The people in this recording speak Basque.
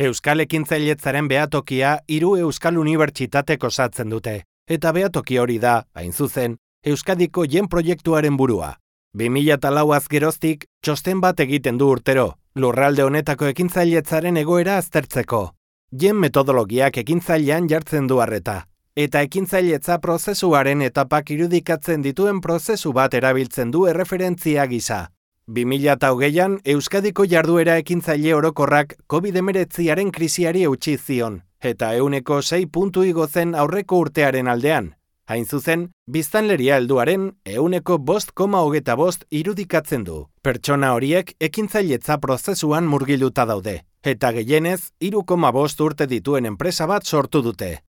Euskal Ekintzailetzaren behatokia 3 Euskal Unibertsitatek osatzen dute, eta behatoki hori da, hain zuzen, Euskadiko jen proiektuaren burua. 2004 geroztik, txosten bat egiten du urtero, lurralde honetako ekintzailetzaren egoera aztertzeko. Jen metodologiak ekintzailean jartzen du arreta, eta ekintzailetza prozesuaren etapak irudikatzen dituen prozesu bat erabiltzen du erreferentzia gisa. 2020an Euskadiko jarduera ekintzaile orokorrak COVID-19aren krisiari eutsi zion, eta 6 puntu igo zen aurreko urtearen aldean. Hain zuzen, biztanleria helduaren 5,25 irudikatzen du. Pertsona horiek ekintzailetza prozesuan murgilduta daude, eta gehienez 3,5 urte dituen enpresa bat sortu dute.